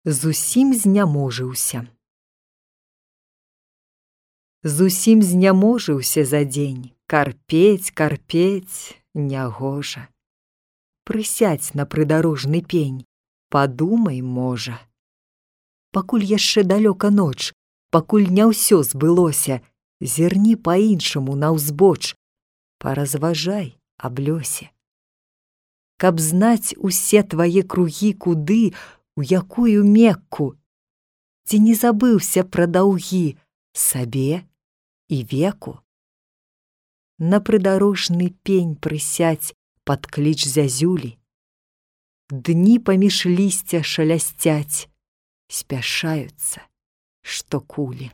Зусім зняможыўся. Зусім зняможыўся за дзень, карпець, карпець, нягожа. Прысядзь на прыдарожны пень, падумай, можа. Пакуль яшчэ далёка ноч, пакуль не ўсё збылося, зірні па-іншаму наўзбоч, паразважай аб лёсе. Каб знаць усе твае кругі куды, у якую Мекку, ці не забыўся пра даўгі сабе і веку. На прыдарожны пень прысядзь пад кліч зязюлі. Дні паміж лісця шалясцяць, спяшаюцца, што кулі.